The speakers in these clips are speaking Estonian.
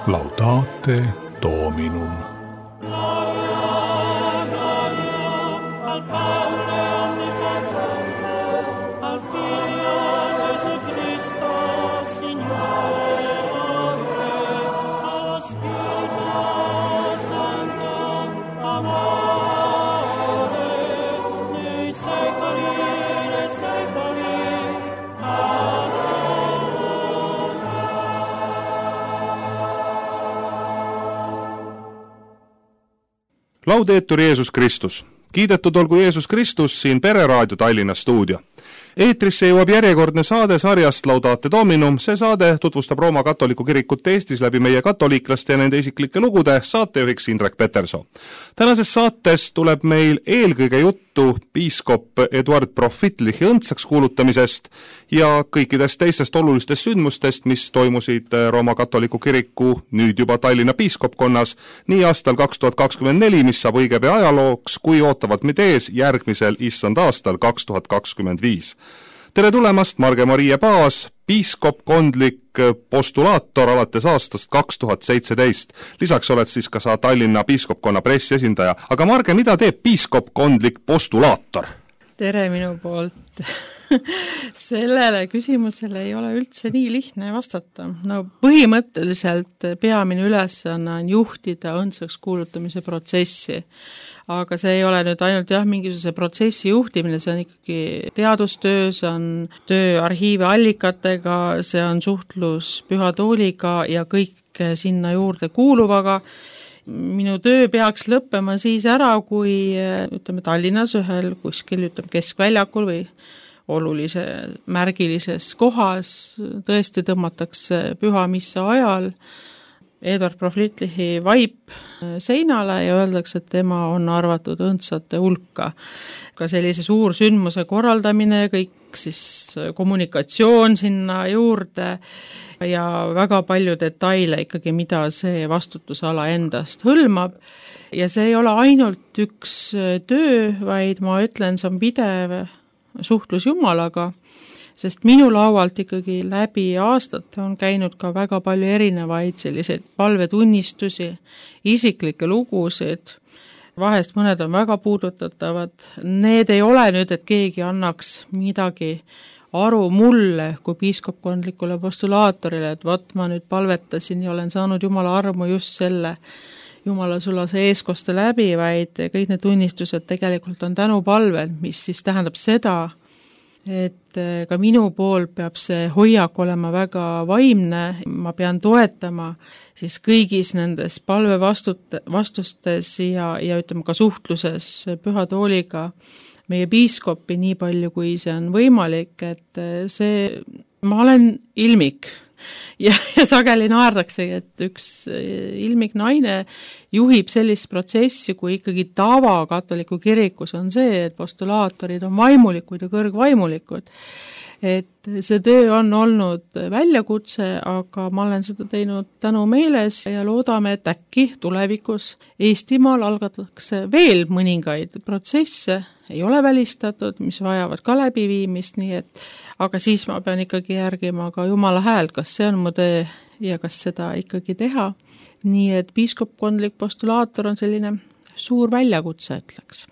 Laudate Dominum. Laudetur Jeesus Kristus. Kiidetud olgu Jeesus Kristus, siin Pereraadio Tallinna stuudio. Eetrisse jõuab järjekordne saade sarjast Laudate Dominum. See saade tutvustab Rooma katoliku kirikut Eestis läbi meie katoliiklaste ja nende isiklike lugude, saatejuhiks Indrek Peterson. Tänases saates tuleb meil eelkõige juttu piiskop Eduard Profitlichi õndsaks kuulutamisest ja kõikidest teistest olulistest sündmustest, mis toimusid Rooma katoliku kiriku nüüd juba Tallinna piiskopkonnas nii aastal 2024, mis saab õige pea ajalooks, kui ootavad meid ees järgmisel issand aastal 2025. Tere tulemast, Marge-Marie Paas, piiskopkondlik postulaator alates aastast 2017. Lisaks oled siis ka sa Tallinna piiskopkonna pressiesindaja. Aga Marge, mida teeb piiskopkondlik postulaator? Tere minu poolt. Sellele küsimusele ei ole üldse nii lihtne vastata. No põhimõtteliselt peamine ülesanne on juhtida õndsaks kuulutamise protsessi. Aga see ei ole nüüd ainult mingisuguse protsessi juhtimine, see on ikkagi teadustöö, see on töö arhiivi allikatega, see on suhtlus Püha Tooliga ja kõik sinna juurde kuuluvaga. Minu töö peaks lõppema siis ära, kui Tallinnas ühel kuskil keskväljakul või olulise märgilises kohas tõesti tõmmatakse püha missa ajal Eduard Profitlichi vaip seinale ja öeldakse, et tema on arvatud õndsate hulka. Ka sellise suur sündmuse korraldamine, kõik siis kommunikatsioon sinna juurde ja väga palju detaile ikkagi, mida see vastutusala endast hõlmab. Ja see ei ole ainult üks töö, vaid ma ütlen, see on pidev suhtlus Jumalaga, sest minu laualt ikkagi läbi aastate on käinud ka väga palju erinevaid selliseid palvetunnistusi, isiklikke lugusid, vahest mõned on väga puudutatavad. Need ei ole nüüd, et keegi annaks midagi aru mulle kui piiskopkondlikule postulaatorile, et vot ma nüüd palvetasin ja olen saanud Jumala armu just selle Jumala sulase eeskoste läbi, vaid kõik need tunnistused tegelikult on tänupalved, mis siis tähendab seda, et ka minu pool peab see hoiak olema väga vaimne, ma pean toetama siis kõigis nendes palvevastustes ja ütleme ka suhtluses Püha Tooliga meie piiskopi nii palju, kui see on võimalik, et ma olen ilmik ja sageli naerdaksegi, et üks ilmik naine juhib sellist protsessi, kui ikkagi tava katoliku kirikus on see, et postulaatorid on vaimulikud ja kõrgvaimulikud. Et see töö on olnud väljakutse, aga ma olen seda teinud tänu meeles ja loodame, et äkki tulevikus Eestimaal algatatakse veel mõningaid protsesse, ei ole välistatud, mis vajavad ka läbiviimist, nii et aga siis ma pean ikkagi järgima ka Jumala häält, kas see on mu töö ja kas seda ikkagi teha. Nii et piiskopkondlik postulaator on selline suur väljakutse, ütleks.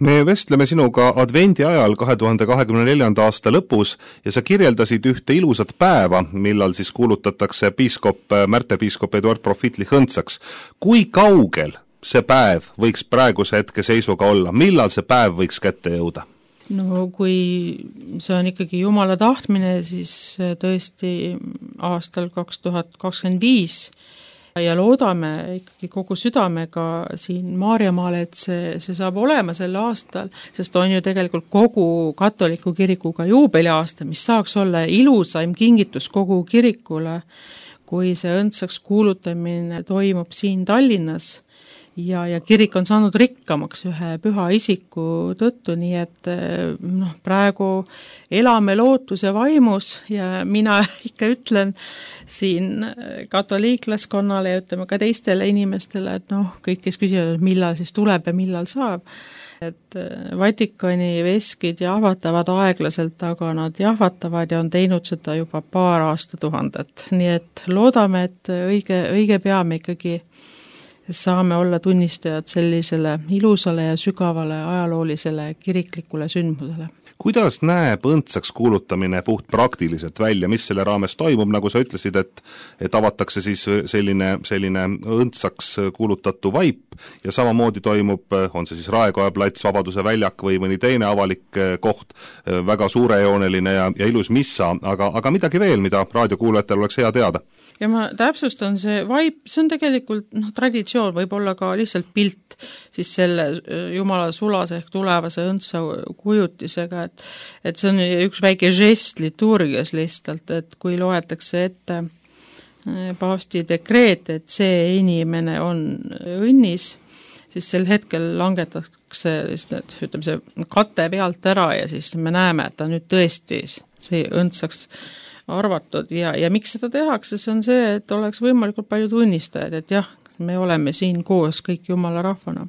Me vestleme sinuga advendi ajal 2024. aasta lõpus ja sa kirjeldasid ühte ilusat päeva, millal siis kuulutatakse märterpiiskop Eduard Profitlich õndsaks. Kui kaugel see päev võiks praeguse hetke seisuga olla? Millal see päev võiks kätte jõuda? No kui see on ikkagi Jumala tahtmine, siis tõesti aastal 2025 ja loodame ikkagi kogu südamega siin Maarjamaal, et see saab olema sel aastal, sest on ju tegelikult kogu katoliku kirikuga juubeliaasta, mis saaks olla ilusaim kingitus kogu kirikule, kui see õndsaks kuulutamine toimub siin Tallinnas. Ja kirik on saanud rikkamaks ühe püha isiku tõttu, nii et praegu elame lootuse vaimus ja mina ikka ütlen siin katoliiklaskonnale ja ütleme ka teistele inimestele, et kõik, kes küsivad, millal siis tuleb ja millal saab, et Vatikani veskid jahvatavad aeglaselt, aga nad jahvatavad ja on teinud seda juba paar aastatuhandet. Nii et loodame, et õige pea me ikkagi saame olla tunnistajad sellisele ilusale ja sügavale ajaloolisele kiriklikule sündmusele. Kuidas näeb õndsaks kuulutamine puht praktiliselt välja, mis selle raames toimub, nagu sa ütlesid, et avatakse siis selline õndsaks kuulutatu vaip ja samamoodi toimub, on see siis Raekoja plats, Vabaduse väljak või mõni teine avalik koht, väga suurejooneline ja ilus missa, aga midagi veel, mida raadiokuulajatel oleks hea teada? Ja ma täpsustan, see vaip, see on tegelikult traditsioon, võib olla ka lihtsalt pilt siis selle Jumala sulase ehk tulevase õndsa kujutisega, et see on üks väike žest liturgias lihtsalt, et kui loetakse ette paavsti dekreet, et see inimene on õnnis, siis sel hetkel langetatakse see kate pealt ära ja siis me näeme, et ta nüüd tõesti see õndsaks arvatud ja miks seda tehakse, see on see, et oleks võimalikult palju tunnistajaid, et jah, me oleme siin koos kõik Jumala rahvana.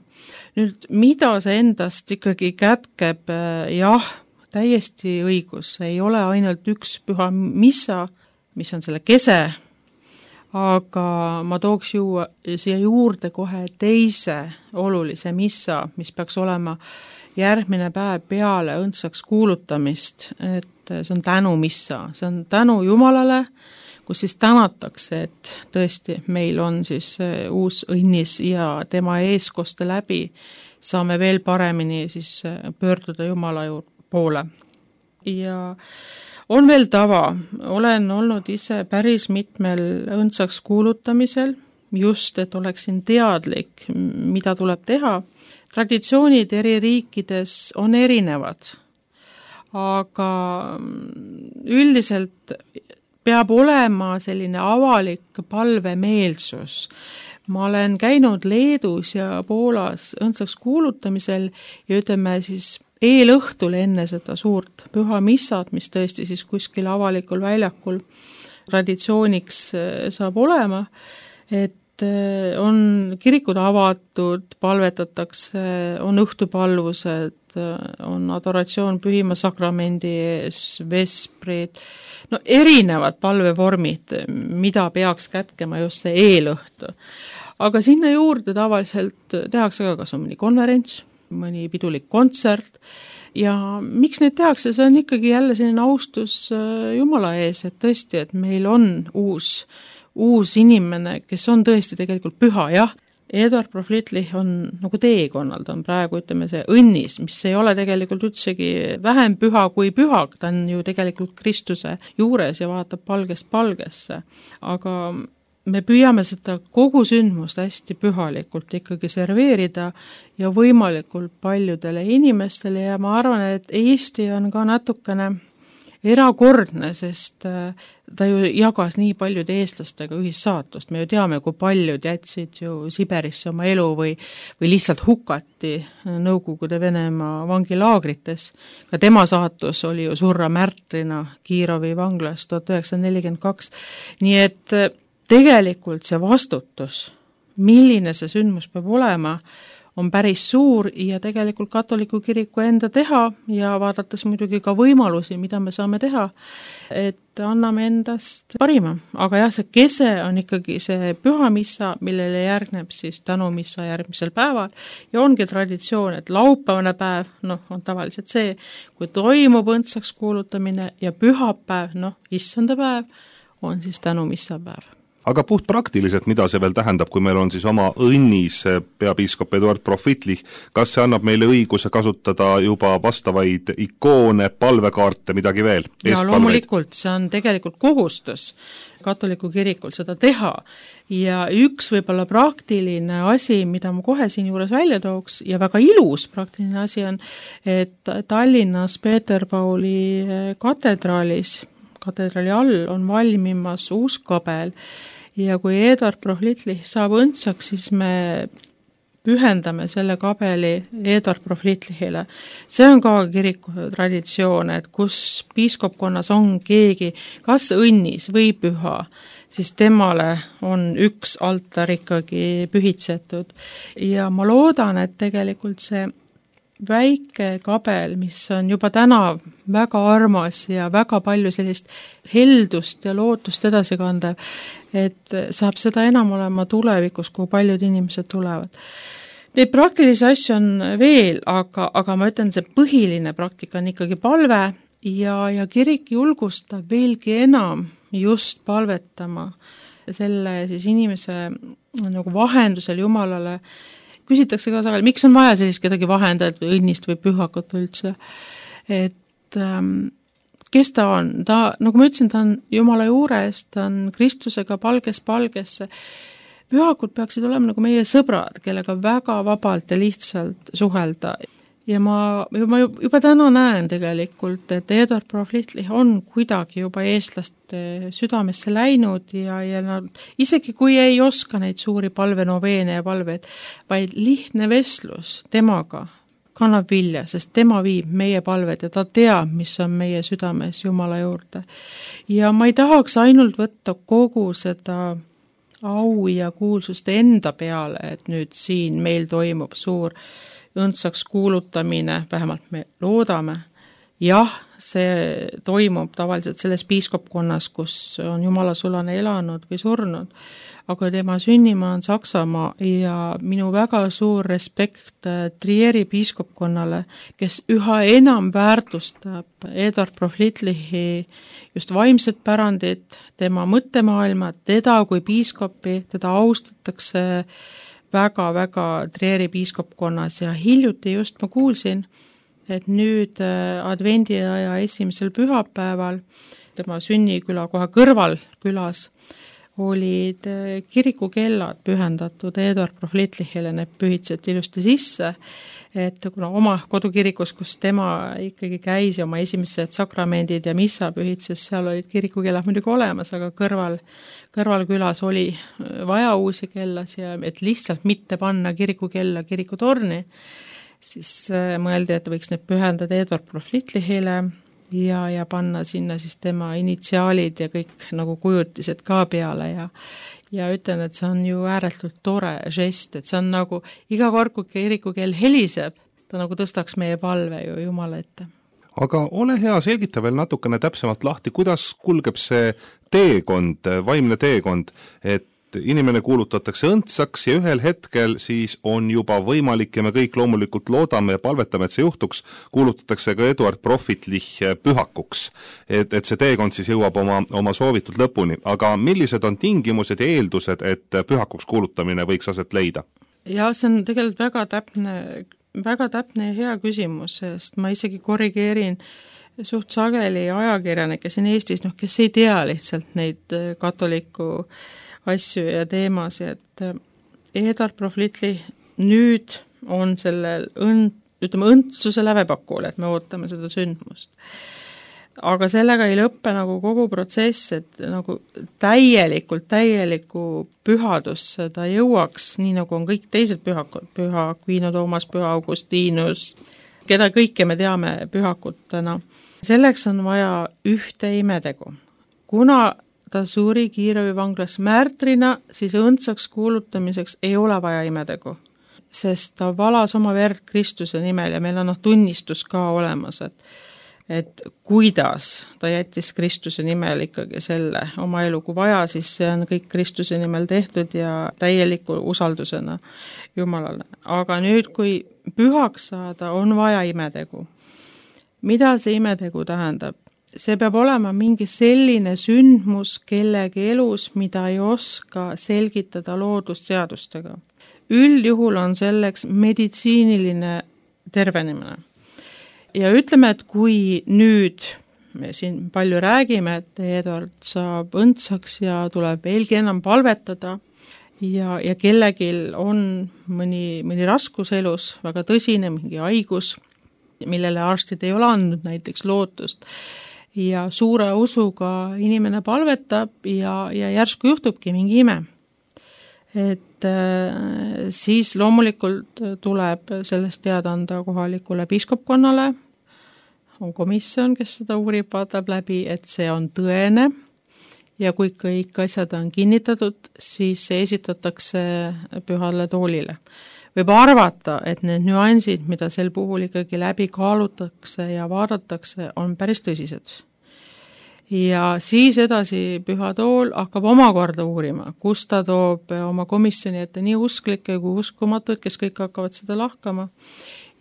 Nüüd, mida see endast ikkagi kätkeb, jah, täiesti õigus, ei ole ainult üks püha missa, mis on selle kese, aga ma tooks siia juurde kohe teise olulise missa, mis peaks olema järgmine päev peale õndsaks kuulutamist, et see on tänumissa, see on tänu Jumalale, kus siis tänatakse, et tõesti meil on siis uus õnnis ja tema eeskoste läbi saame veel paremini siis pöörduda Jumala poole. Ja on veel tava, olen olnud ise päris mitmel õndsaks kuulutamisel, just et oleksin teadlik, mida tuleb teha. Traditsioonid eri riikides on erinevad, aga üldiselt peab olema selline avalik palvemeelsus. Ma olen käinud Leedus ja Poolas õndsaks kuulutamisel ja ütleme siis eelõhtul enne seda suurt püha missat, mis tõesti siis kuskil avalikul väljakul traditsiooniks saab olema, et on kirikud avatud, palvetatakse, on õhtupalvused, on adoratsioon pühima sakramendi ees, vesprid, erinevad palvevormid, mida peaks kätkema just see eelõhtu. Aga sinna juurde tavaliselt tehakse ka kas on mõni konverents, mõni pidulik kontsert ja miks neid tehakse, see on ikkagi jälle selline austus Jumala ees, et tõesti, et meil on uus inimene, kes on tõesti tegelikult püha, jah. Eduard Proflitlich on nagu teekonnal, ta on praegu, ütleme, see õnnis, mis ei ole tegelikult üldsegi vähem püha kui püha, ta on ju tegelikult Kristuse juures ja vaatab palgest palgesse. Aga me püüame seda kogu sündmust hästi pühalikult ikkagi serveerida ja võimalikult paljudele inimestele ja ma arvan, et Eesti on ka natukene erakordne, sest ta ju jagas nii paljude eestlastega ühissaatust. Me ju teame, kui paljud jätsid ju Siberisse oma elu või lihtsalt hukati Nõukogude Venemaa vangilaagrites. Ka tema saatus oli ju surra märtrina Kiirovi vanglas 1942. Nii et tegelikult see vastutus, milline see sündmus peab olema, on päris suur ja tegelikult katoliku kiriku enda teha ja vaadates muidugi ka võimalusi, mida me saame teha, et anname endast parima. Aga jah, see kese on ikkagi see pühamissa, millele järgneb siis tänumissa järgmisel päeval ja ongi traditsioon, et laupäevane päev, on tavaliselt see, kui toimub õndsaks kuulutamine ja pühapäev, issanda päev, on siis tänumissa päev. Aga puht praktiliselt, mida see veel tähendab, kui meil on siis oma õnnis peapiiskop Eduard Proflitlich, kas see annab meile õiguse kasutada juba vastavaid ikoone, palvekaarte, midagi veel? Ja loomulikult, see on tegelikult kohustus katoliku kirikul seda teha ja üks võib-olla praktiline asi, mida ma kohe siin juures välja tooks ja väga ilus praktiline asi on, et Tallinnas Peeter-Pauli katedraali all on valmimas uus kabel ja kui Eduard Proflitlich saab õndsaks, siis me pühendame selle kabeli Eduard Proflitlichile. See on ka kiriku traditsioon, et kus piiskopkonnas on keegi kas õnnis või püha, siis temale on üks altar ikkagi pühitsetud. Ja ma loodan, et tegelikult see väike kabel, mis on juba täna väga armas ja väga palju sellist heldust ja lootust edasi kandev, et saab seda enam olema tulevikus, kui paljud inimesed tulevad. Neid praktilisi asju on veel, aga ma ütlen, see põhiline praktika on ikkagi palve ja kirik julgustab veelgi enam just palvetama selle siis inimese nagu vahendusel Jumalale. Küsitakse ka sageli, miks on vaja sellist kedagi vahendajat või õnnist või pühakut üldse. Et kes ta on? Ta, nagu ma ütlesin, ta on Jumala juures, ta on Kristusega palgest palgesse. Pühakud peaksid olema nagu meie sõbrad, kellega väga vabalt ja lihtsalt suhelda. Ja ma juba täna näen tegelikult, et Eduard Proflitlih on kuidagi juba eestlaste südamesse läinud ja nad, isegi kui ei oska neid suuri palvenoveene ja palveid, vaid lihtne vestlus temaga kannab vilja, sest tema viib meie palved ja ta teab, mis on meie südames Jumala juurde. Ja ma ei tahaks ainult võtta kogu seda au ja kuulsust enda peale, et nüüd siin meil toimub suur õndsaks kuulutamine, vähemalt me loodame. Jah, see toimub tavaliselt selles piiskopkonnas, kus on Jumala sulane elanud või surnud, aga tema sünnimaa on Saksamaa ja minu väga suur respekt Trieri piiskopkonnale, kes üha enam väärtustab Eduard Proflitlihi just vaimset pärandit, tema mõttemaailma, teda kui piiskopi, teda austatakse väga-väga Trieri piiskopkonnas ja hiljuti just ma kuulsin, et nüüd advendiaja esimesel pühapäeval tema sünniküla kohe kõrval külas olid kirikukellad pühendatud Eduard Proflitlihile, need pühitseti ilusti sisse, et kuna oma kodukirikus, kus tema ikkagi käis ja oma esimesed sakramendid ja missa pühitses, seal olid kirikukellad muidugi olemas, aga kõrvalkülas oli vaja uusi kellas ja et lihtsalt mitte panna kirikukella kirikutorni, siis mõeldi, et võiks need pühendada Eduard Proflitlihile ja panna sinna siis tema initsiaalid ja kõik nagu kujutised ka peale ja ütlen, et see on ju ääretult tore žest, et see on nagu iga kord, kui kirikukell heliseb, ta nagu tõstaks meie palve ju Jumala ette. Aga ole hea, selgita veel natukene täpsemalt lahti, kuidas kulgeb see teekond, vaimne teekond, et inimene kuulutatakse õndsaks ja ühel hetkel siis on juba võimalik ja me kõik loomulikult loodame ja palvetame, et see juhtuks, kuulutatakse ka Eduard Proflitlih pühakuks, et see teekond siis jõuab oma soovitud lõpuni. Aga millised on tingimused ja eeldused, et pühakuks kuulutamine võiks aset leida? Ja see on tegelikult väga täpne ja hea küsimus, sest ma isegi korrigeerin suht sageli ajakirjanikke siin Eestis, kes ei tea lihtsalt neid katoliku asju ja teemasi, et Eduard Proflitlih nüüd on sellel õndsuse lävepakul, et me ootame seda sündmust. Aga sellega ei lõppe nagu kogu protsess, et nagu täieliku pühadusse ta jõuaks, nii nagu on kõik teised pühakud, Püha Aquino Toomas, Püha Augustinus, keda kõike me teame pühakutena. Selleks on vaja ühte imetegu. Kuna ta suri Kiievi vanglas märtrina, siis õndsaks kuulutamiseks ei ole vaja imetegu, sest ta valas oma verd Kristuse nimel ja meil on tunnistus ka olemas, et kuidas ta jättis Kristuse nimel ikkagi selle oma elu, kui vaja, siis see on kõik Kristuse nimel tehtud ja täieliku usaldusena Jumalale. Aga nüüd, kui pühaks saada, on vaja imetegu. Mida see imetegu tähendab? See peab olema mingi selline sündmus kellegi elus, mida ei oska selgitada loodusseadustega. Üldjuhul on selleks meditsiiniline tervenemine. Ja ütleme, et kui nüüd me siin palju räägime, et Eduard saab õndsaks ja tuleb veelgi enam palvetada ja kellegil on mõni raskus elus, väga tõsine, mingi haigus, millele arstid ei ole andnud näiteks lootust, ja suure usuga inimene palvetab ja järsku juhtubki mingi ime. Et siis loomulikult tuleb sellest teada anda kohalikule piiskopkonnale, on komisjon, kes seda uurib, vaatab läbi, et see on tõene ja kui kõik asjad on kinnitatud, siis see esitatakse pühale toolile võib arvata, et need nüansid, mida sel puhul ikkagi läbi kaalutakse ja vaadatakse, on päris tõsised. Ja siis edasi Püha Tool hakkab omakorda uurima, kus ta toob oma komisjoni ette nii usklikke kui uskumatuid, kes kõik hakkavad seda lahkama.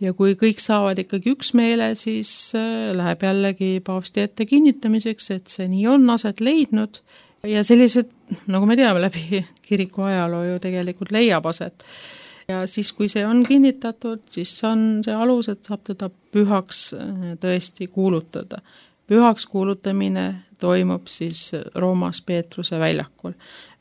Ja kui kõik saavad ikkagi üksmeele, siis läheb jällegi paavsti ette kinnitamiseks, et see nii on aset leidnud ja sellised, nagu me teame, läbi kiriku ajaloo ju tegelikult leiab aset. Ja siis, kui see on kinnitatud, siis on see alus, et saab teda pühaks tõesti kuulutada. Pühaks kuulutamine toimub siis Roomas Peetruse väljakul.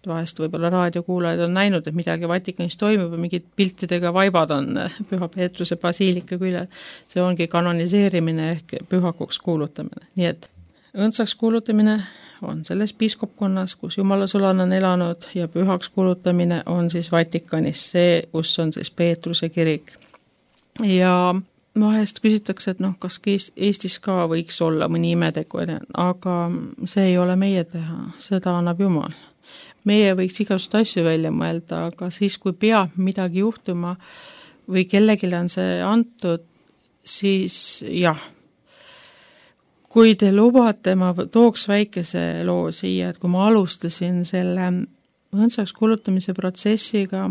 Vahest võib-olla raadiokuulajad on näinud, et midagi Vatikanis toimub ja mingid piltidega vaibad on Püha Peetruse basiilika küljel. See ongi kanoniseerimine ehk pühakuks kuulutamine. Nii et õndsaks kuulutamine on selles piiskopkonnas, kus Jumala sulane on elanud ja pühaks kuulutamine on siis Vatikanis see, kus on siis Peetruse kirik. Ja vahest küsitakse, et kas Eestis ka võiks olla mõni imetegu, aga see ei ole meie teha, seda annab Jumal. Meie võiks igasugust asju välja mõelda, aga siis, kui peab midagi juhtuma või kellelegi on see antud, siis jah. Kui te lubate, ma tooks väikese loo siia, et kui ma alustasin selle õndsaks kuulutamise protsessiga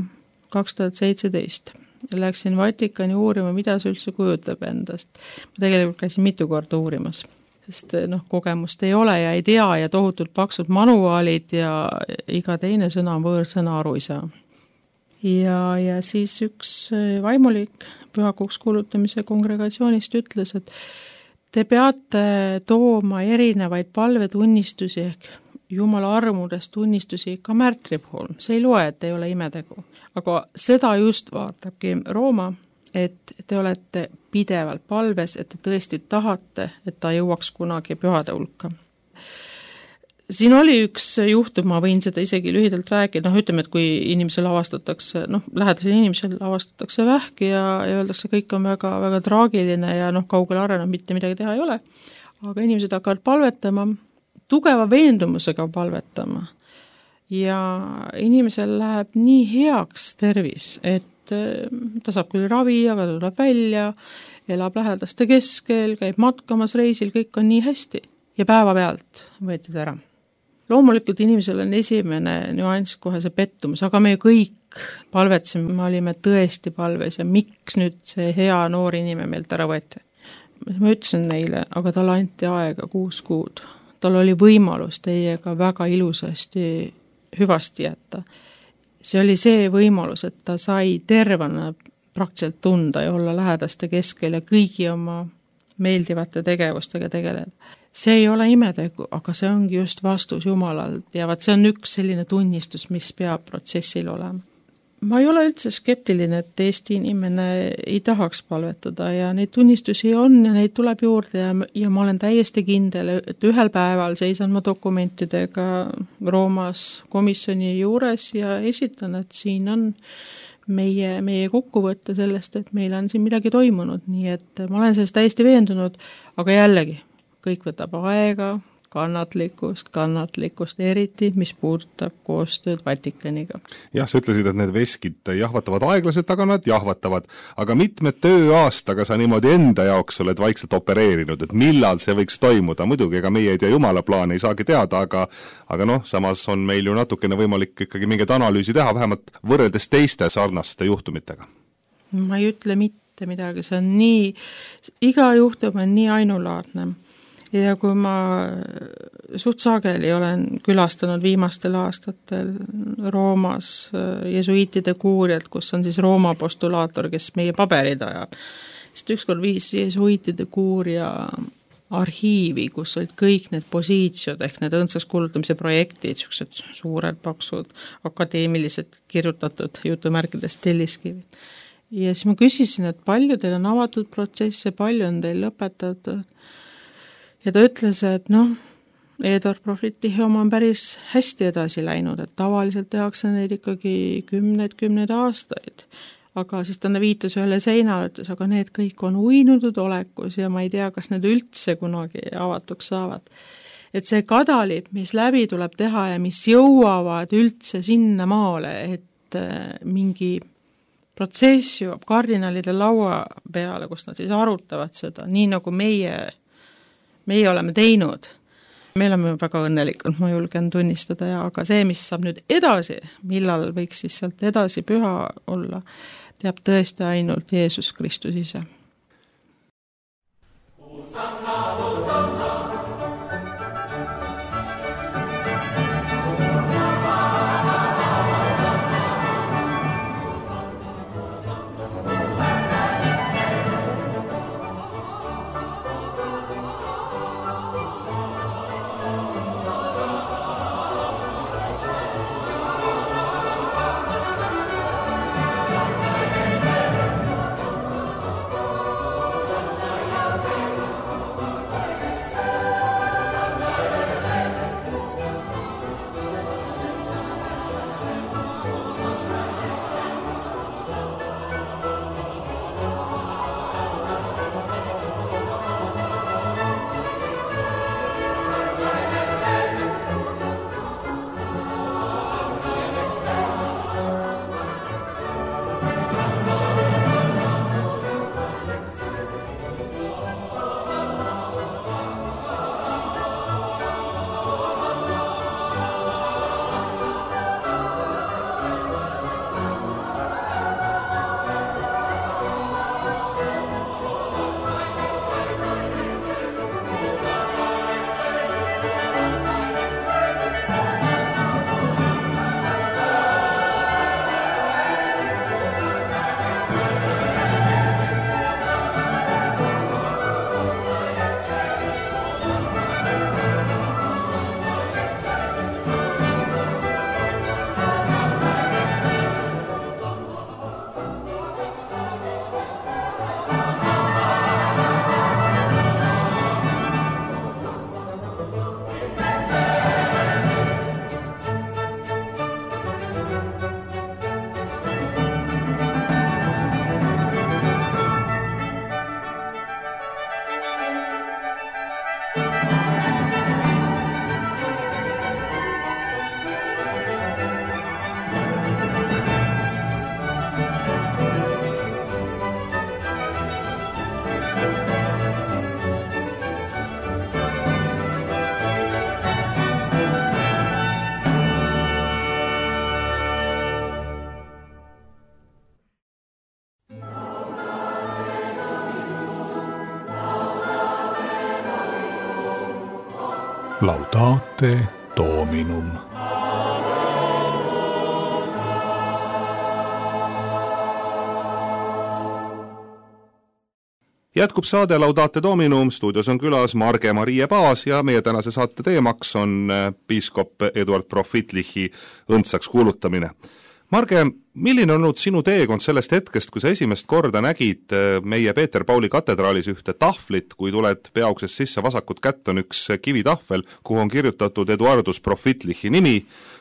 2017, läksin Vatikani uurima, mida see üldse kujutab endast. Ma tegelikult käisin mitu korda uurimas, sest kogemust ei ole ja ei tea ja tohutult paksud manuaalid ja iga teine sõna on võõrsõna aru ei saa. Ja siis üks vaimulik pühakuks kuulutamise kongregatsioonist ütles, et te peate tooma erinevaid palvetunnistusi ehk Jumala armudest tunnistusi ka märtri puhul. See ei loe, et ei ole imetegu. Aga seda just vaatabki Rooma, et te olete pidevalt palves, et te tõesti tahate, et ta jõuaks kunagi pühade hulka. Siin oli üks juhtum, ma võin seda isegi lühidalt rääkida, ütleme, et kui inimesel avastatakse, lähedasel inimesel avastatakse vähki ja öeldakse, kõik on väga, väga traagiline ja kaugele arenenud, mitte midagi teha ei ole, aga inimesed hakkavad palvetama, tugeva veendumusega palvetama ja inimesel läheb nii heaks tervis, et ta saab küll ravi, aga ta tuleb välja, elab lähedaste keskel, käib matkamas reisil, kõik on nii hästi ja päevapealt võeti ta ära. Loomulikult inimesel on esimene nüanss kohe see pettumus, aga me kõik palvetsime, me olime tõesti palves ja miks nüüd see hea noor inimene meilt ära võeti. Ma ütlesin neile, aga talle anti aega 6 kuud. Tal oli võimalus teiega väga ilusasti hüvasti jätta. See oli see võimalus, et ta sai tervena praktiliselt tunda ja olla lähedaste keskel ja kõigi oma meeldivate tegevustega tegeleda. See ei ole imetegu, aga see ongi just vastus Jumalalt ja see on üks selline tunnistus, mis peab protsessil olema. Ma ei ole üldse skeptiline, et Eesti inimene ei tahaks palvetada ja neid tunnistusi on ja neid tuleb juurde ja ma olen täiesti kindel, et ühel päeval seisan ma dokumentidega Roomas komisjoni juures ja esitan, et siin on meie kokkuvõtte sellest, et meil on siin midagi toimunud, nii et ma olen sellest täiesti veendunud, aga jällegi, kõik võtab aega, kannatlikkust, eriti, mis puudutab koostööd Vatikaniga. Jah, sa ütlesid, et need veskid jahvatavad aeglaselt, aga nad jahvatavad. Aga mitmed tööaastaga sa niimoodi enda jaoks oled vaikselt opereerinud, et millal see võiks toimuda. Muidugi, ega meie ei tea Jumala plaani, ei saagi teada, aga samas on meil ju natukene võimalik ikkagi mingit analüüsi teha, vähemalt võrreldes teiste sarnaste juhtumitega. Ma ei ütle mitte midagi, see on nii, iga juhtum on nii ainulaadne. Ja kui ma suht sageli olen külastanud viimastel aastatel Roomas jesuiitide kuuriat, kus on siis Rooma postulaator, kes meie paberid ajab. Sest ükskord viis jesuiitide kuuria arhiivi, kus olid kõik need posiitsiod ehk need õndsaks kuulutamise projektid, sellised suured, paksud, akadeemilised kirjutatud jutumärkides telliskivid. Ja siis ma küsisin, et palju teil on avatud protsesse, palju on teil lõpetatud. Ja ta ütles, et Edor Profitihi oma on päris hästi edasi läinud, et tavaliselt tehakse neid ikkagi kümneid aastaid. Aga siis ta viitas ühele seinale, ütles, aga need kõik on uinutud olekus ja ma ei tea, kas need üldse kunagi avatuks saavad. Et see kadalip, mis läbi tuleb teha ja mis jõuavad üldse sinna maale, et mingi protsess jõuab kardinalide laua peale, kus nad siis arutavad seda, nii nagu meie oleme teinud. Me oleme väga õnnelikult, ma julgen tunnistada, aga see, mis saab nüüd edasi, millal võiks siis sealt edasi püha olla, teab tõesti ainult Jeesus Kristus ise. Laudate Dominum. Jätkub saade Laudate Dominum, stuudios on külas Marge-Marie Paas ja meie tänase saate teemaks on piiskop Eduard Profitlichi õndsaks kuulutamine. Marge, milline on olnud sinu teekond sellest hetkest, kui sa esimest korda nägid meie Peeter Pauli katedraalis ühte tahvlit, kui tuled peauksest sisse, vasakut kätt on üks kivitahvel, kuhu on kirjutatud Eduardus Profitlichi nimi.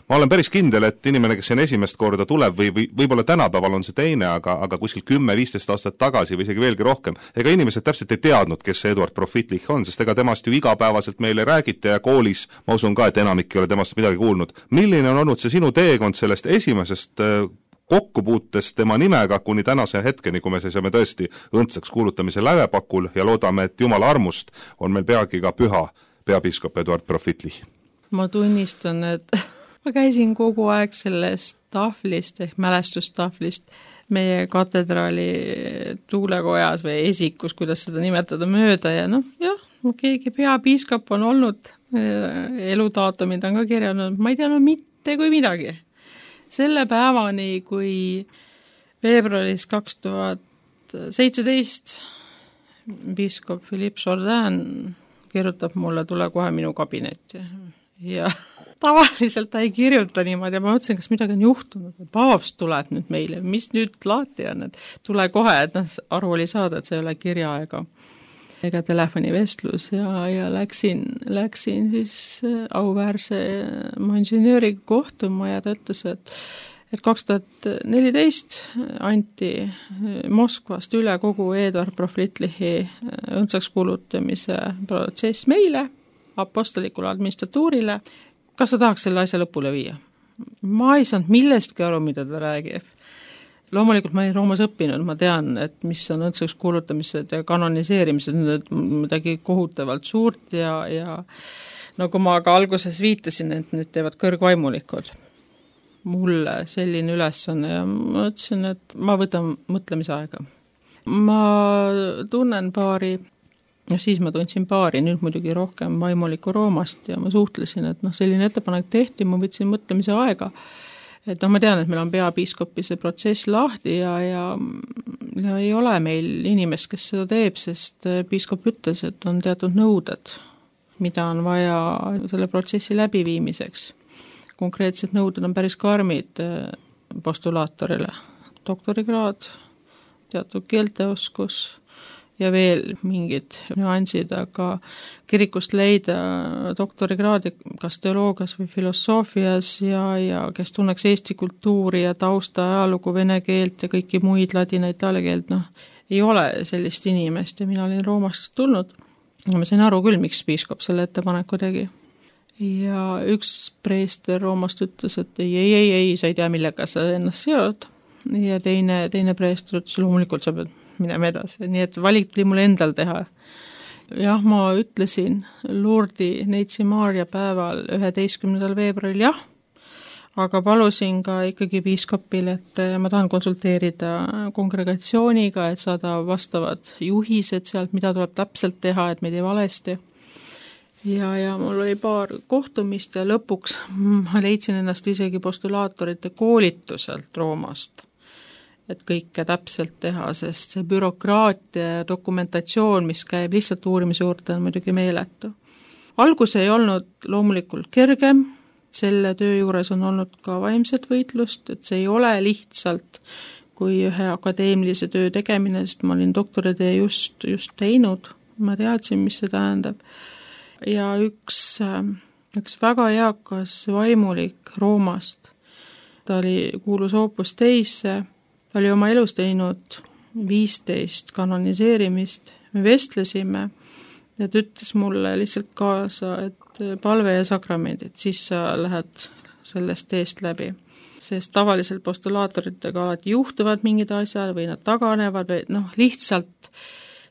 Ma olen päris kindel, et inimene, kes siin esimest korda tuleb või võib-olla tänapäeval on see teine, aga kuskil 10-15 aastat tagasi või isegi veelgi rohkem, ega inimesed täpselt ei teadnud, kes see Eduard Profitlich on, sest ega temast ju igapäevaselt meile räägite ja koolis, ma usun ka, et enamik ei ole temast midagi kuulnud. Milline on olnud see sinu teekond sellest esimesest kokkupuutest tema nimega kuni tänase hetkeni, kui me seisame tõesti õndsaks kuulutamise lävepakul ja loodame, et Jumala armust on meil peagi ka püha peapiiskop Eduard Profitlich? Ma tunnistan, et ma käisin kogu aeg sellest tahvlist ehk mälestustahvlist meie katedraali tuulekojas või esikus, kuidas seda nimetada, mööda ja keegi peapiiskop on olnud, eludaatumid on ka kirjanud, ma ei tea mitte kui midagi. Selle päevani, kui veebruaris 2017 piiskop Philippe Jourdain kirjutab mulle, tule kohe minu kabinetti ja tavaliselt ta ei kirjuta niimoodi ja ma mõtlesin, kas midagi on juhtunud, paavst tuleb nüüd meile, mis nüüd laati on, et tule kohe, et aru oli saada, et see ei ole kirja ega telefonivestlus ja läksin siis auväärse monsinööriga kohtuma ja ta ütles, et 2014 anti Moskvast üle kogu Eduard Profitlichi õndsaks kuulutamise protsess meile, apostolikule administratuurile. Kas sa tahaks selle asja lõpule viia? Ma ei saanud millestki aru, mida ta räägib. loomulikult ma olin Roomas õppinud, ma tean, et mis on õndsaks kuulutamised ja kanoniseerimised, need midagi kohutavalt suurt ja nagu ma ka alguses viitasin, et nüüd teevad kõrgvaimulikud. Mulle selline ülesanne ja ma ütlesin, et ma võtan mõtlemisaega. Ma tunnen paari, siis ma tundsin paari, nüüd muidugi rohkem vaimuliku Roomast ja ma suhtlesin, et selline ettepanek tehti, ma võtsin mõtlemise aega. Et ma tean, et meil on peapiiskopi see protsess lahti ja ei ole meil inimest, kes seda teeb, sest piiskop ütles, et on teatud nõuded, mida on vaja selle protsessi läbiviimiseks. Konkreetsed nõuded on päris karmid postulaatorile. Doktorikraad, teatud keelteoskus ja veel mingid nüansid, aga kirikust leida doktorikraadi kas teoloogias või filosoofias ja kes tunneks eesti kultuuri ja tausta ajalugu, vene keelt ja kõiki muid ladina, itaalia keelt, ei ole sellist inimest ja mina olin Roomast tulnud. Ma sain aru küll, miks piiskop selle ettepaneku tegi. Ja üks preester Roomast ütles, et ei, sa ei tea, millega sa ennast seod. Ja teine preester ütles, loomulikult sa pead minema edasi, nii et valik tuli mulle endal teha. Jah, ma ütlesin Lourdi Neitsi Maarja päeval 11. veebruaril jah, aga palusin ka ikkagi piiskopil, et ma tahan konsulteerida kongregatsiooniga, et saada vastavad juhised sealt, mida tuleb täpselt teha, et meid ei valesti. Ja mul oli paar kohtumist ja lõpuks ma leidsin ennast isegi postulaatorite koolituselt Roomast, et kõike täpselt teha, sest see bürokraatia ja dokumentatsioon, mis käib lihtsalt uurimise juurde, on muidugi meeletu. Algus ei olnud loomulikult kergem, selle töö juures on olnud ka vaimset võitlust, et see ei ole lihtsalt kui ühe akadeemilise töö tegemine, sest ma olin doktoritöö just teinud, ma teadsin, mis see tähendab. Ja üks väga eakas vaimulik Roomast, ta oli kuulus Opus Deisse, ta oli oma elus teinud 15 kanoniseerimist, me vestlesime ja ta ütles mulle lihtsalt kaasa, et palve ja sakramendid, siis sa lähed sellest teest läbi. Sest tavaliselt postulaatoritega alati juhtuvad mingid asjad või nad taganevad või lihtsalt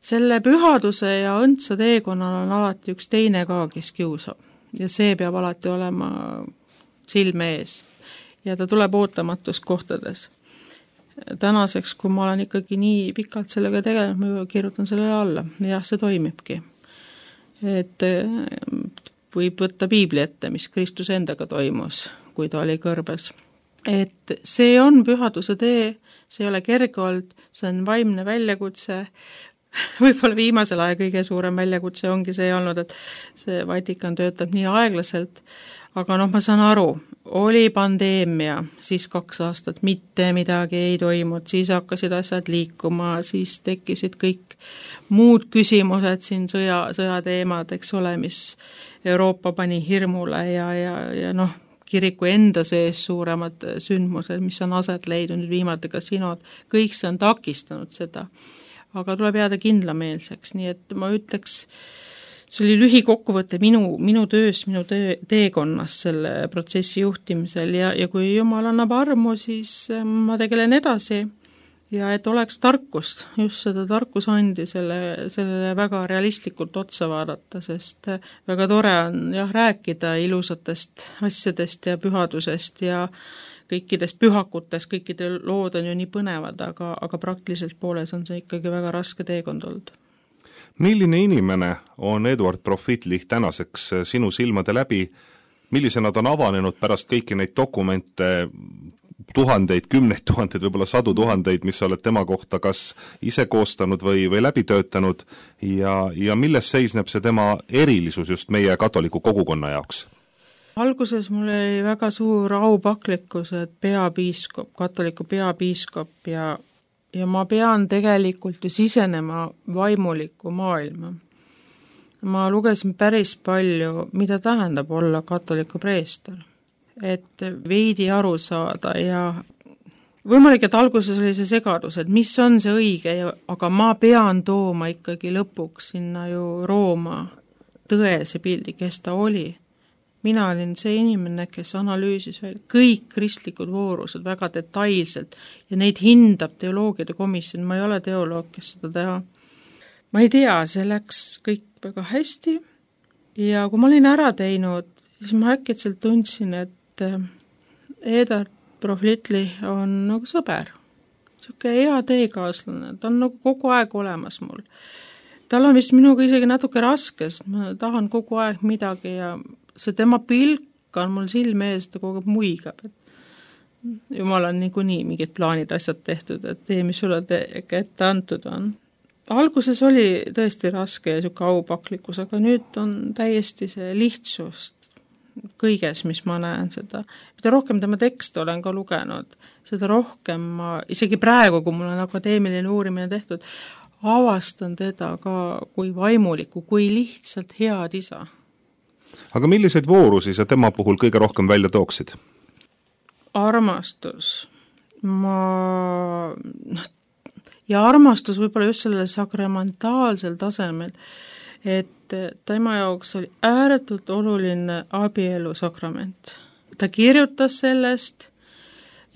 selle pühaduse ja õndsa teekonnal on alati üks teine ka, kes kiusab. Ja see peab alati olema silme ees ja ta tuleb ootamatust kohtades. Tänaseks, kui ma olen ikkagi nii pikalt sellega tegelenud, ma kirjutan sellele alla. Jah, see toimibki. Et võib võtta piibli ette, mis Kristus endaga toimus, kui ta oli kõrbes. Et see on pühaduse tee, see ei ole kerge olnud, see on vaimne väljakutse. Võib-olla viimasel aja kõige suurem väljakutse ongi see olnud, et see Vatikan töötab nii aeglaselt, aga ma saan aru, oli pandeemia, siis 2 aastat mitte midagi ei toimunud, siis hakkasid asjad liikuma, siis tekkisid kõik muud küsimused siin sõjateemad, eks ole, mis Euroopa pani hirmule ja kiriku enda sees suuremad sündmused, mis on aset leidnud viimati ka sinod, kõik see on takistanud seda. Aga tuleb jääda kindlameelseks, nii et ma ütleks, see oli lühikokkuvõte minu töös, minu teekonnas selle protsessi juhtimisel ja kui Jumal annab armu, siis ma tegelen edasi ja et oleks tarkust, just seda tarkus andi sellele väga realistlikult otsa vaadata, sest väga tore on rääkida ilusatest asjadest ja pühadusest ja kõikidest pühakutest, kõikide lood on ju nii põnevad, aga praktiliselt pooles on see ikkagi väga raske teekond olnud. Milline inimene on Eduard Profitlich tänaseks sinu silmade läbi, millise nad on avanenud pärast kõiki neid dokumente, tuhandeid, 10 000, võib-olla 100 000, mis sa oled tema kohta kas ise koostanud või läbi töötanud ja milles seisneb see tema erilisus just meie katoliku kogukonna jaoks? Alguses mul oli väga suur aupaklikkus, et peapiiskop, katoliku peapiiskop ja ma pean tegelikult ju sisenema vaimuliku maailma. Ma lugesin päris palju, mida tähendab olla katoliku preester, et veidi aru saada ja võimalik, et alguses oli see segadus, et mis on see õige, aga ma pean tooma ikkagi lõpuks sinna ju Rooma tõese pildi, kes ta oli. mina olin see inimene, kes analüüsis veel kõik kristlikud voorused väga detailselt ja neid hindab teoloogiade komisjon, ma ei ole teoloog, kes seda teha. Ma ei tea, see läks kõik väga hästi ja kui ma olin ära teinud, siis ma äkitselt tundsin, et Edard Proflitli on nagu sõber, siuke hea teekaaslane, ta on nagu kogu aeg olemas mul. Tal on vist minuga isegi natuke raske, sest ma tahan kogu aeg midagi ja see tema pilk on mul silme ees, ta kogu aeg muigab, et jumal on niikuinii mingid plaanid asjad tehtud, et tee, mis sulle ette antud on. Alguses oli tõesti raske ja siuke aupaklikkus, aga nüüd on täiesti see lihtsust kõiges, mis ma näen seda. Mida rohkem tema tekste olen ka lugenud, seda rohkem ma, isegi praegu, kui mul on akadeemiline uurimine tehtud, avastan teda ka kui vaimuliku, kui lihtsalt head isa. Aga milliseid voorusi sa tema puhul kõige rohkem välja tooksid? Armastus. Ja armastus võib-olla just sellele sakramentaalsel tasemel, et tema jaoks oli ääretult oluline abielu sakrament. Ta kirjutas sellest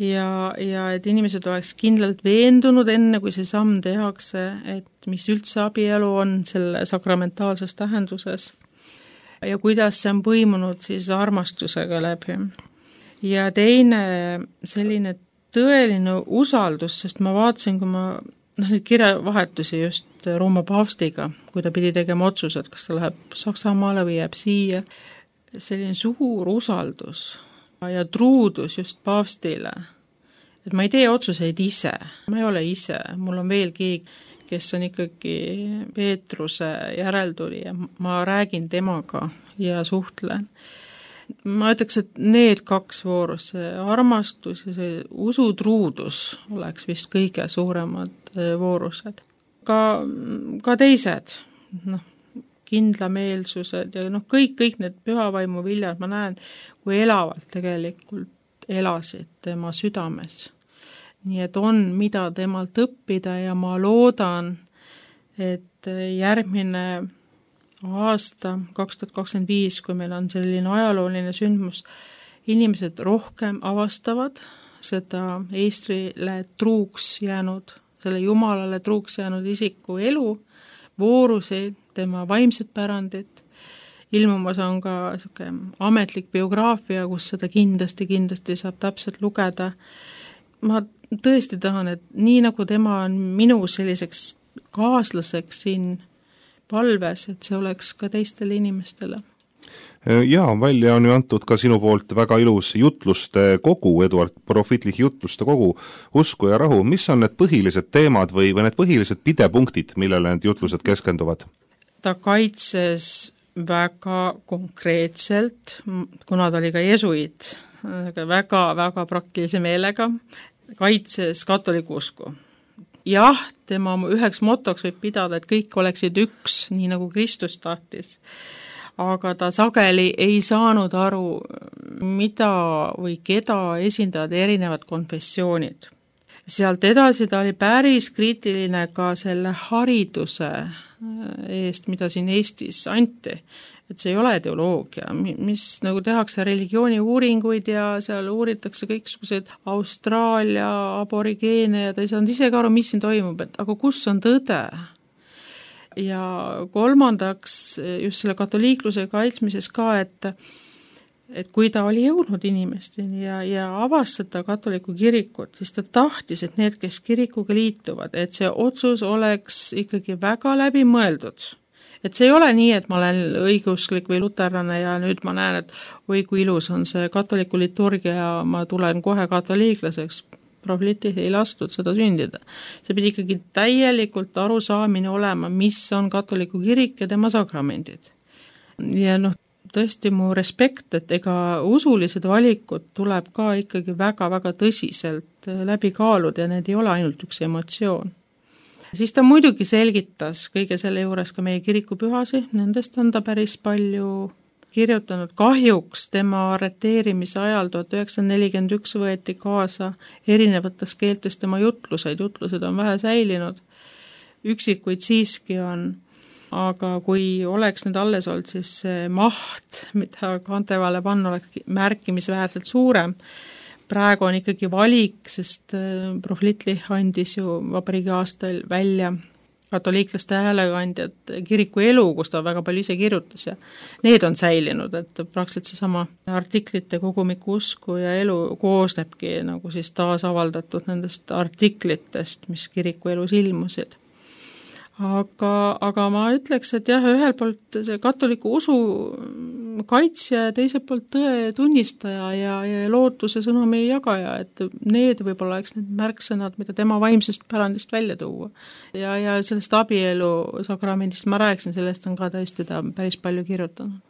ja et inimesed oleks kindlalt veendunud enne, kui see samm tehakse, et mis üldse abielu on selle sakramentaalses tähenduses ja kuidas see on põimunud siis armastusega läbi. Ja teine selline tõeline usaldus, sest ma vaatasin, kui ma neid kirjavahetusi just Rooma paavstiga, kui ta pidi tegema otsused, kas ta läheb Saksamaale või jääb siia, selline suur usaldus ja truudus just paavstile. Et ma ei tee otsuseid ise, ma ei ole ise, mul on veel keegi, kes on ikkagi Peetruse järeltulija, ma räägin temaga ja suhtlen. Ma ütleks, et need kaks voorus, see armastus ja see usutruudus oleks vist kõige suuremad voorused. Ka teised, kindlameelsused ja kõik need pühavaimu viljad, ma näen, kui elavalt tegelikult elasid tema südames. Nii et on mida temalt õppida ja ma loodan, et järgmine aasta 2025, kui meil on selline ajalooline sündmus, inimesed rohkem avastavad seda Eestrile truuks jäänud, selle Jumalale truuks jäänud isiku elu, vooruseid, tema vaimset pärandit. Ilmumas on ka ametlik biograafia, kus seda kindlasti saab täpselt lugeda. Ma tõesti tahan, et nii nagu tema on minu selliseks kaaslaseks siin palves, et see oleks ka teistele inimestele. Jaa, välja on ju antud ka sinu poolt väga ilus jutluste kogu, Edward Profitlich jutluste kogu, Usku ja rahu. Mis on need põhilised teemad või need põhilised pidepunktid, millele need jutlused keskenduvad? Ta kaitses väga konkreetselt, kuna ta oli ka jesuit, väga praktilise meelega, kaitses katoliku usku. Jah, tema üheks motoks võib pidada, et kõik oleksid üks, nii nagu Kristus tahtis. Aga ta sageli ei saanud aru, mida või keda esindavad erinevad konfessioonid. Sealt edasi ta oli päris kriitiline ka selle hariduse eest, mida siin Eestis anti. Et see ei ole teoloogia, mis nagu tehakse religiooni uuringuid ja seal uuritakse kõiksuguseid Austraalia aborigeene ja ta ei saanud ise ka aru, mis siin toimub, et aga kus on tõde? Ja kolmandaks just selle katoliikluse kaitsmises ka, et kui ta oli jõudnud inimesteni ja avastada katoliku kirikut, siis ta tahtis, et need, kes kirikuga liituvad, et see otsus oleks ikkagi väga läbi mõeldud. Et see ei ole nii, et ma olen õigeusklik või luterlane ja nüüd ma näen, et oi kui ilus on see katoliku liturgia ja ma tulen kohe katoliiklaseks. Proflitlich ei lastud seda sündida. See pidi ikkagi täielikult arusaamine olema, mis on katoliku kirik ja tema sakramendid. Ja tõesti mu respekt, et ega usulised valikud tuleb ka ikkagi väga-väga tõsiselt läbi kaaluda ja need ei ole ainult üks emotsioon. Siis ta muidugi selgitas kõige selle juures ka meie kirikupühasi, nendest on ta päris palju kirjutanud. Kahjuks tema arreteerimise ajal 1941 võeti kaasa erinevates keeltes tema jutlused on vähe säilinud, üksikuid siiski on. aga kui oleks need alles olnud, siis see maht, mida Kantevale panna, oleks märkimisväärselt suurem. Praegu on ikkagi valik, sest Prohvitlich andis ju vabariigi aastal välja katoliiklaste häälekandjad kiriku elu, kus ta väga palju ise kirjutas ja need on säilinud, et praktiliselt seesama artiklite kogumiku usku ja elu koosnebki nagu siis taasavaldatud nendest artiklitest, mis kiriku elus ilmusid. Aga ma ütleks, et jah, ühelt poolt see katoliku usu kaitsja ja teiselt poolt tõe tunnistaja ja lootuse sõnumi jagaja, et need võib-olla oleks need märksõnad, mida tema vaimsest pärandist välja tuua. Ja sellest abielu sakramendist ma rääkisin, sellest on ka tõesti ta päris palju kirjutanud.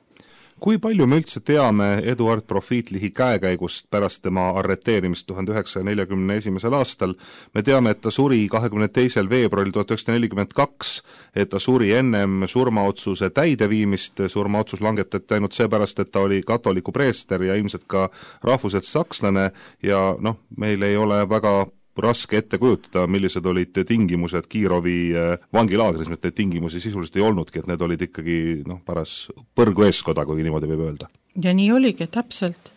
Kui palju me üldse teame Eduard Prohvitlichi käekäigust pärast tema arreteerimist 1941. aastal? Me teame, et ta suri 22. veebruaril 1942, et ta suri ennem surmaotsuse täideviimist, surmaotsus langetati ainult seepärast, et ta oli katoliku preester ja ilmselt ka rahvuselt sakslane ja meil ei ole väga raske ette kujutada, millised olid tingimused Kirovi vangilaagris, et neid tingimusi sisuliselt ei olnudki, et need olid ikkagi paras põrgu eeskoda, kui niimoodi võib öelda. Ja nii oligi, täpselt,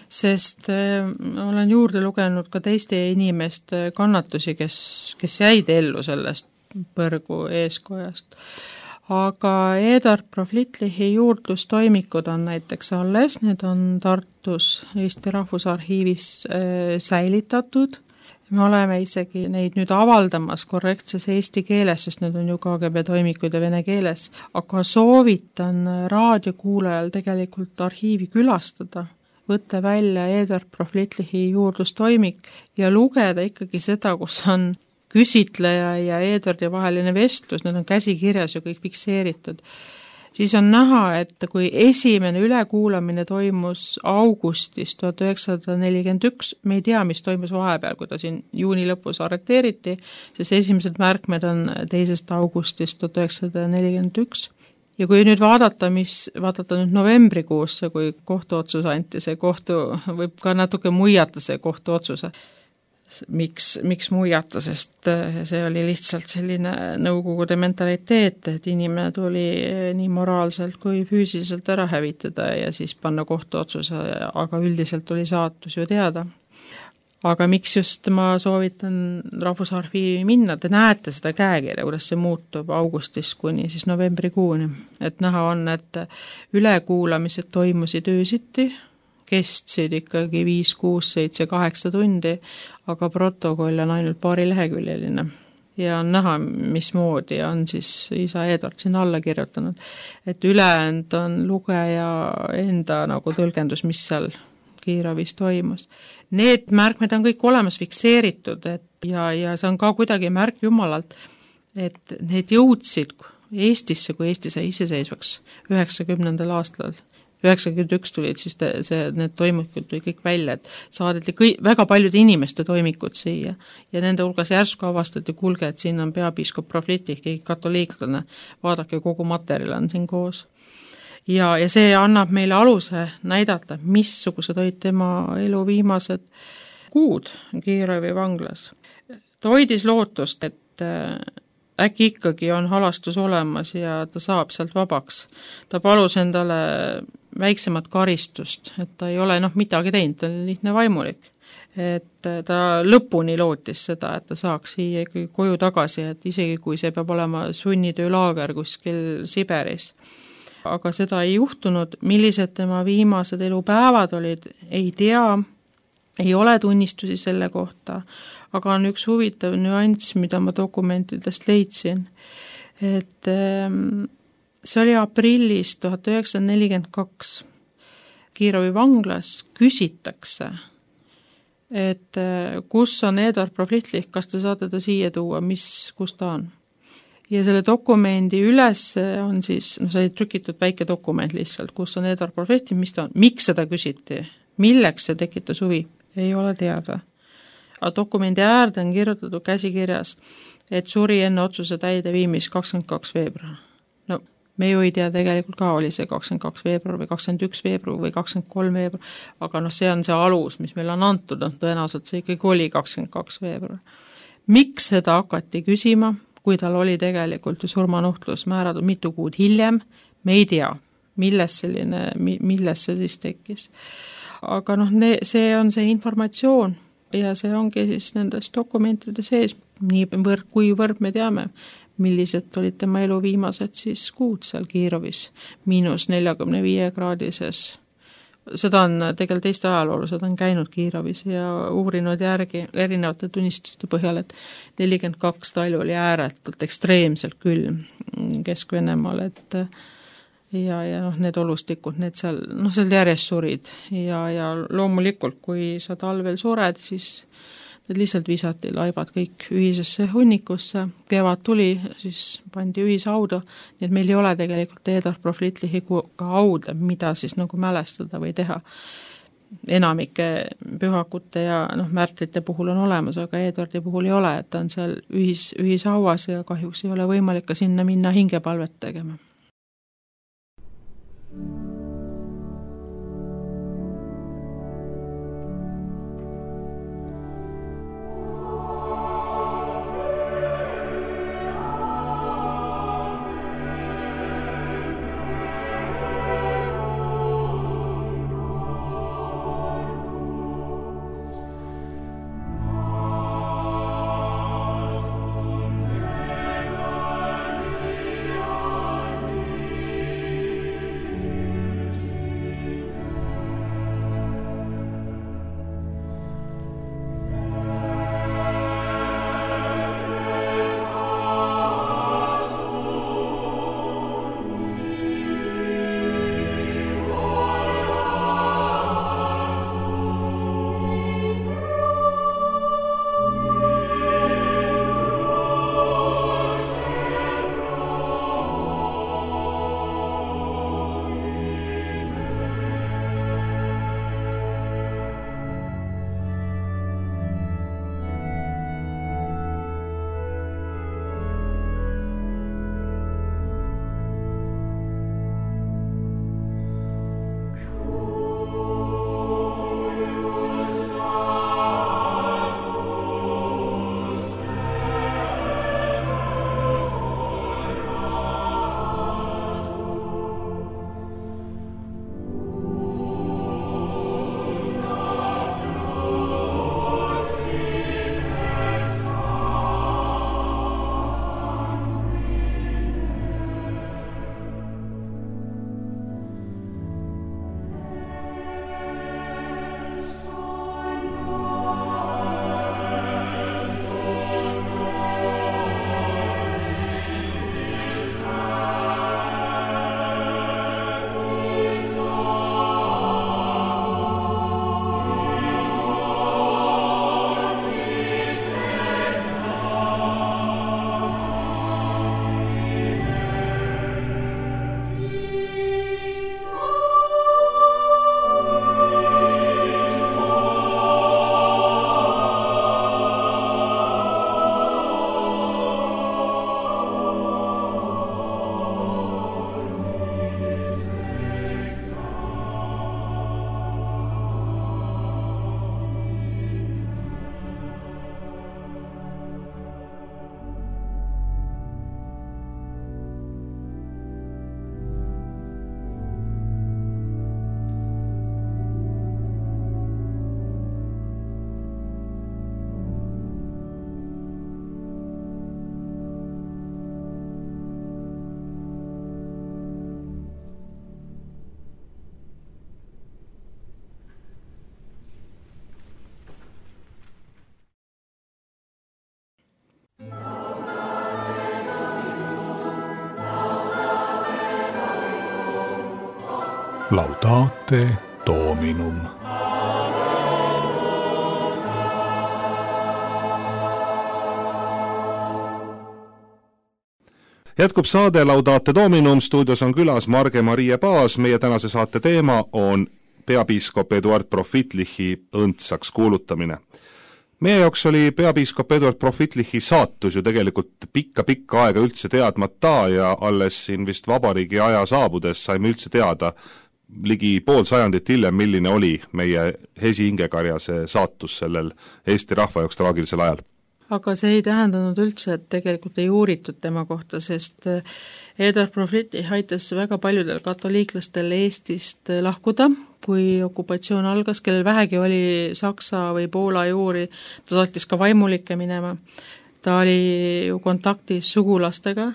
sest olen juurde lugenud ka teiste inimeste kannatusi, kes jäid ellu sellest põrgu eeskojast. Aga Eduard Prohvitlichi juurdlustoimikud on näiteks alles, need on Tartus Eesti Rahvusarhiivis säilitatud. Me oleme isegi neid nüüd avaldamas korrektses eesti keeles, sest need on ju KGB toimikud ja vene keeles, aga soovitan raadiokuulajal tegelikult arhiivi külastada, võtta välja Eduard Prohvitlichi juurdlustoimik ja lugeda ikkagi seda, kus on küsitleja ja Eduardi vaheline vestlus, need on käsikirjas ju kõik fikseeritud. Siis on näha, et kui esimene ülekuulamine toimus augustis 1941, me ei tea, mis toimus vahepeal, kui ta siin juuni lõpus arreteeriti, sest esimesed märkmed on 2. augustist 1941. Ja kui nüüd vaadata nüüd novembrikuusse, kui kohtuotsus anti, see võib ka natuke muiata see kohtuotsuse. Miks muiata, sest see oli lihtsalt selline nõukogude mentaliteet, et inimene tuli nii moraalselt kui füüsiliselt ära hävitada ja siis panna kohtuotsuse, aga üldiselt oli saatus ju teada. Aga miks just ma soovitan Rahvusarhiivi minna, te näete seda käekirja, kuidas see muutub augustist kuni siis novembrikuuni, et näha on, et ülekuulamised toimusid öösiti, kestsid ikkagi 5, 6, 7, 8 tundi, aga protokoll on ainult paari leheküljeline. Ja on näha, mismoodi on siis isa Eduard sinna alla kirjutanud. Et ülejäänud on lugeja enda nagu tõlgendus, mis seal Kirovis toimus. Need märkmed on kõik olemas fikseeritud ja see on ka kuidagi märk Jumalalt, et need jõudsid Eestisse, kui Eesti sai iseseisvaks 90. aastal. 91 tulid siis need toimikud tuli kõik välja, et saadeti väga paljude inimeste toimikud siia ja nende hulgas järsku avastati, kuulge, et siin on peapiiskop Prohvitlich, katoliiklane, vaadake, kogu materjal on siin koos. Ja see annab meile aluse näidata, missugused olid tema elu viimased kuud Kirovi vanglas. Ta hoidis lootust, et äkki ikkagi on halastus olemas ja ta saab sealt vabaks. Ta palus endale väiksemat karistust, et ta ei ole midagi teinud, ta oli lihtne vaimulik. Et ta lõpuni lootis seda, et ta saaks siia ikkagi koju tagasi, et isegi kui see peab olema sunnitöölaager kuskil Siberis. Aga seda ei juhtunud, millised tema viimased elupäevad olid, ei tea, ei ole tunnistusi selle kohta, aga on üks huvitav nüanss, mida ma dokumentidest leidsin, et see oli aprillis 1942. Kirovi vanglas küsitakse, et kus on Eduard Prohvitlich, kas te saate ta siia tuua, kus ta on. Ja selle dokumendi üles on siis, see oli trükitud väike dokument lihtsalt, kus on Eduard Prohvitlich, mis ta on, miks seda küsiti, milleks see tekitas huvi, ei ole teada. Aga dokumendi äärde on kirjutatud käsikirjas, et suri enne otsuse täideviimist 22. veebruar. No, me ju ei tea, tegelikult ka oli see 22. veebruar või 21. veebruar või 23. veebruar, aga see on see alus, mis meil on antud, tõenäoliselt see ikkagi oli 22. veebruar. Miks seda hakati küsima, kui tal oli tegelikult ju surmanuhtlus määratud mitu kuud hiljem, me ei tea, milles see siis tekkis. Aga see on see informatsioon ja see ongi siis nendes dokumentide sees, kuivõrd me teame, millised olid tema elu viimased siis kuud seal Kirovis, -45-kraadises. Seda on tegelikult Eesti ajaloolu, seda on käinud Kirovis ja uurinud järgi erinevate tunnistuste põhjal, et 42 talju oli ääretult ekstreemselt külm Kesk-Venemaal, ja need olustikud, need seal järjest surid ja loomulikult, kui sa talvel sured, siis need lihtsalt visati laibad kõik ühisesse hunnikusse, kevad tuli, siis pandi ühishauda, nii et meil ei ole tegelikult Eduard Proflitlihiga hauda, mida siis nagu mälestada või teha. Enamike pühakute ja märtrite puhul on olemas, aga Eduardi puhul ei ole, et ta on seal ühishauas ja kahjuks ei ole võimalik ka sinna minna hingepalvet tegema. Laudate Dominum. Jätkub saade Laudate Dominum, stuudios on külas Marge-Marie Paas, meie tänase saate teema on peapiiskop Eduard Profitlichi õndsaks kuulutamine. Meie jaoks oli peapiiskop Eduard Profitlichi saatus ju tegelikult pikka aega üldse teadmata ja alles siin vist vabariigi aja saabudes saime üldse teada ligi pool sajandit hiljem, milline oli meie Hesi Ingekarjase saatus sellel Eesti rahva jaoks traagilisel ajal. aga see ei tähendanud üldse, et tegelikult ei uuritud tema kohta, sest Eduard Proflittich aitas väga paljudel katoliiklastel Eestist lahkuda, kui okupatsioon algas, kellel vähegi oli Saksa või Poola juuri, ta saatis ka vaimulikke minema. Ta oli ju kontaktis sugulastega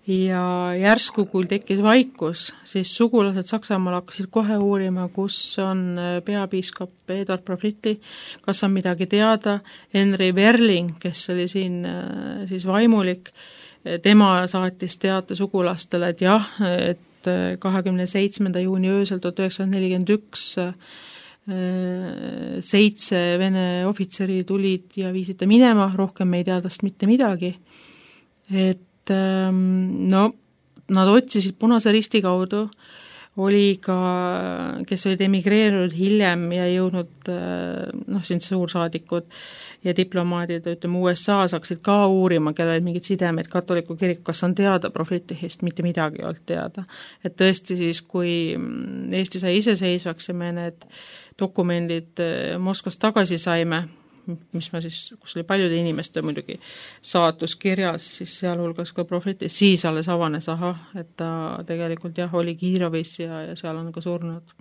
ja järsku, kui tekkis vaikus, siis sugulased Saksamaal hakkasid kohe uurima, kus on peapiiskop Eduard Proflittich, kas on midagi teada. Henry Werling, kes oli siin siis vaimulik, tema saatis teate sugulastele, et jah, et 27. juuni öösel 1941 7 Vene ohvitseri tulid ja viisid ta minema, rohkem me ei tea tast mitte midagi. Et no, nad otsisid Punase Risti kaudu, oli ka, kes olid emigreerunud hiljem ja jõudnud, siin suursaadikud ja diplomaadid, ütleme USA hakkasid ka uurima, kellel mingid sidemed katoliku kirik, kas on teada Proflittichist, mitte midagi ei olnud teada. Et tõesti siis, kui Eesti sai iseseisvaks ja me need dokumendid Moskvast tagasi saime, mis ma siis, kus oli paljude inimeste muidugi saatus kirjas, siis sealhulgas ka Proflittich, siis alles avanes, et ta tegelikult jah, oli Kirovis ja seal on ka surnud.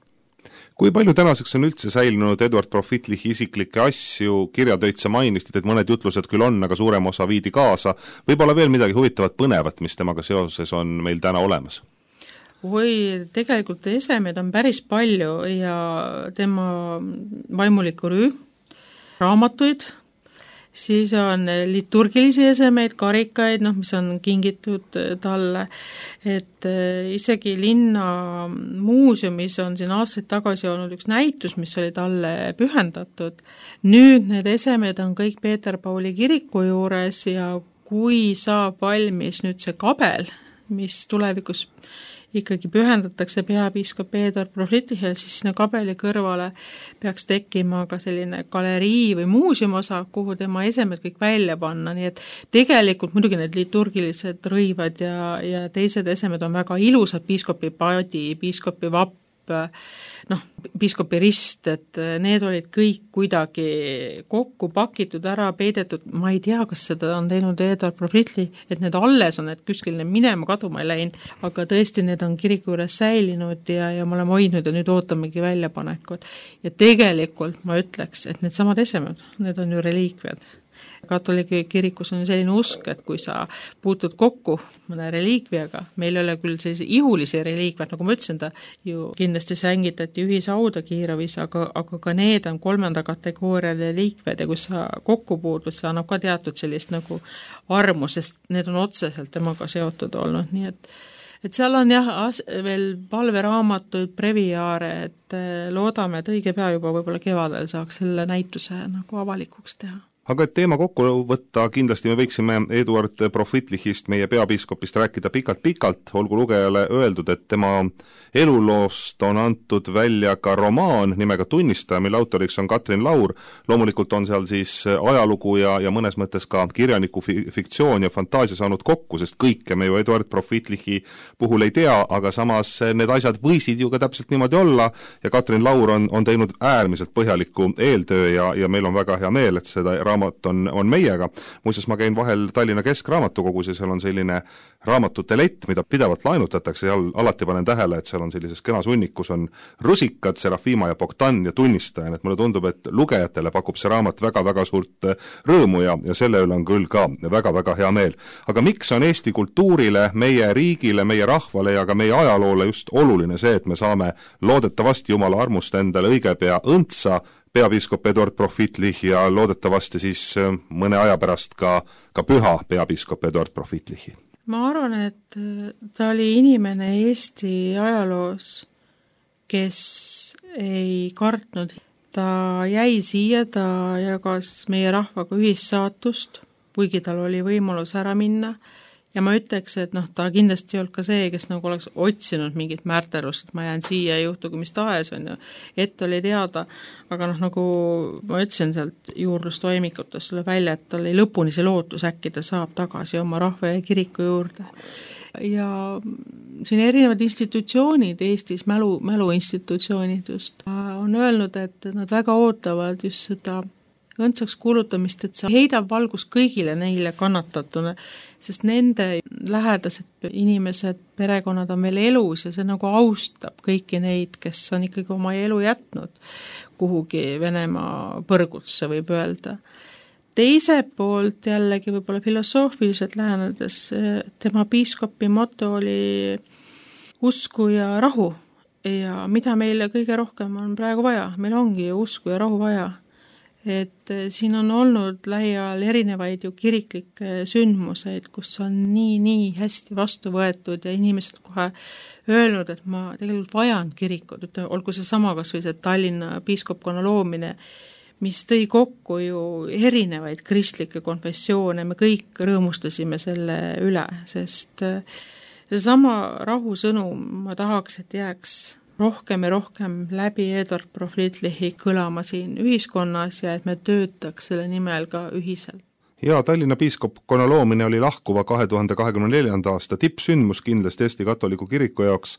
Kui palju tänaseks on üldse säilinud Eduard Proflittichi isiklikke asju, kirjatöid sa mainisid, et mõned jutlused küll on, aga suurem osa viidi kaasa, võib-olla veel midagi huvitavat põnevat, mis temaga seoses on meil täna olemas? Tegelikult esemed on päris palju ja tema vaimuliku rüü, raamatuid, siis on liturgilisi esemeid, karikaid, mis on kingitud talle, et isegi linna muuseumis on siin aastaid tagasi olnud üks näitus, mis oli talle pühendatud. Nüüd need esemed on kõik Peeter Pauli kiriku juures ja kui saab valmis nüüd see kabel, mis tulevikus ikkagi pühendatakse peapiiskop Eduard Proflittichile, siis sinna kabeli kõrvale peaks tekkima ka selline galerii või muuseumosa, kuhu tema esemed kõik välja panna, nii et tegelikult muidugi need liturgilised rõivad ja teised esemed on väga ilusad, piiskopi paadi, piiskopi vapp, piiskopi rist, et need olid kõik kuidagi kokku pakitud, ära peidetud, ma ei tea, kas seda on teinud Eduard Proflittich, et need alles on, et kuskil need minema kaduma ei läinud, aga tõesti need on kiriku juures säilinud ja me oleme hoidnud ja nüüd ootamegi väljapanekut. Ja tegelikult ma ütleks, et need samad esemed, need on ju reliikviad. Katoliki kirikus on selline usk, et kui sa puutud kokku mõne reliikviaga, meil ei ole küll sellise ihulisi reliikviad, nagu ma ütlesin, ta ju kindlasti sängitati ühishauda Kirovis, aga ka need on 3. kategooria reliikviad ja kui sa kokku puutud, see annab ka teatud sellist nagu armu, sest need on otseselt temaga seotud olnud, nii et seal on jah, veel palveraamatuid, breviaare, et loodame, et õige pea juba võib-olla kevadel saaks selle näituse nagu avalikuks teha. Aga et teema kokku võtta, kindlasti me võiksime Eduard Proflittichist, meie peapiiskopist rääkida pikalt-pikalt, olgu lugejale öeldud, et tema eluloost on antud välja ka romaan nimega Tunnistaja, mille autoriks on Katrin Laur. Loomulikult on seal siis ajalugu ja mõnes mõttes ka kirjaniku fiktsioon ja fantaasia saanud kokku, sest kõike me ju Eduard Proflittichi puhul ei tea, aga samas need asjad võisid ju ka täpselt niimoodi olla ja Katrin Laur on teinud äärmiselt põhjaliku eeltöö ja meil on väga hea meel, et seda raamat on meiega. Muuseas, ma käin vahel Tallinna Keskraamatukogus ja seal on selline raamatute lett, mida pidevalt laenutatakse ja alati panen tähele, et seal on sellises kenas hunnikus on Rusikad, Serafima ja Bogdan ja Tunnistaja, et mulle tundub, et lugejatele pakub see raamat väga-väga suurt rõõmu ja selle üle on küll ka väga-väga hea meel. Aga miks on Eesti kultuurile, meie riigile, meie rahvale ja ka meie ajaloole just oluline see, et me saame loodetavasti Jumala armust endale õige pea õntsa peapiiskop Eduard Proflittich ja loodetavasti siis mõne aja pärast ka püha peapiiskop Eduard Proflittichi? Ma arvan, et ta oli inimene Eesti ajaloos, kes ei kartnud. Ta jäi siia, ta jagas meie rahvaga ühissaatust, kuigi tal oli võimalus ära minna. Ja ma ütleks, et ta kindlasti ei olnud ka see, kes nagu oleks otsinud mingit märterust, et ma jään siia ja juhtugu mis tahes, ette oli teada, aga nagu ma ütlesin sealt juurdlustoimikutest selle välja, et tal oli lõpuni see lootus, äkki ta saab tagasi oma rahva ja kiriku juurde. Ja siin erinevad institutsioonid Eestis, mäluinstitutsioonid just, on öelnud, et nad väga ootavad just seda õndsaks kuulutamist, et see heidab valgus kõigile neile kannatatuna, sest nende lähedased inimesed, perekonnad on veel elus ja see nagu austab kõiki neid, kes on ikkagi oma elu jätnud kuhugi Venemaa põrgusse, võib öelda. Teiselt poolt jällegi võib-olla filosoofiliselt lähenedes, tema piiskopi moto oli usku ja rahu ja mida meile kõige rohkem on praegu vaja, meil ongi ju usku ja rahu vaja. Et siin on olnud lähiajal erinevaid ju kiriklikke sündmuseid, kus on nii hästi vastu võetud ja inimesed kohe öelnud, et ma tegelikult vajan kirikut, olgu see sama kas või see Tallinna piiskopkonna loomine, mis tõi kokku ju erinevaid kristlikke konfessioone, me kõik rõõmustasime selle üle, sest seesama rahusõnum ma tahaks, et jääks rohkem ja rohkem läbi Eduard Proflitlihhi kõlama siin ühiskonnas ja et me töötaks selle nimel ka ühiselt. Ja Tallinna piiskopkonna loomine oli lahkuva 2024. aasta tippsündmus kindlasti Eesti katoliku kiriku jaoks,